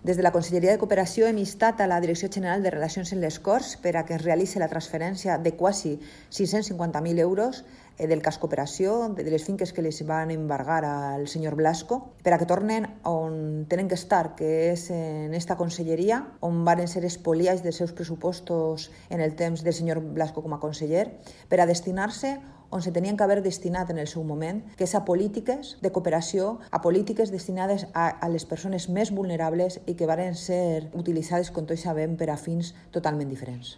Des de la Conselleria de Cooperació hem instat a la Direcció General de Relacions amb les Corts per a que es realitzi la transferència de quasi 650.000 euros del cas Cooperació, de les finques que les van embargar al senyor Blasco, per a que tornen on tenen que estar, que és en esta conselleria, on van ser espoliats dels seus pressupostos en el temps del senyor Blasco com a conseller, per a destinar-se on se tenien que haver destinat en el seu moment, que és a polítiques de cooperació, a polítiques destinades a les persones més vulnerables i que varen ser utilitzades, com tots sabem, per a fins totalment diferents.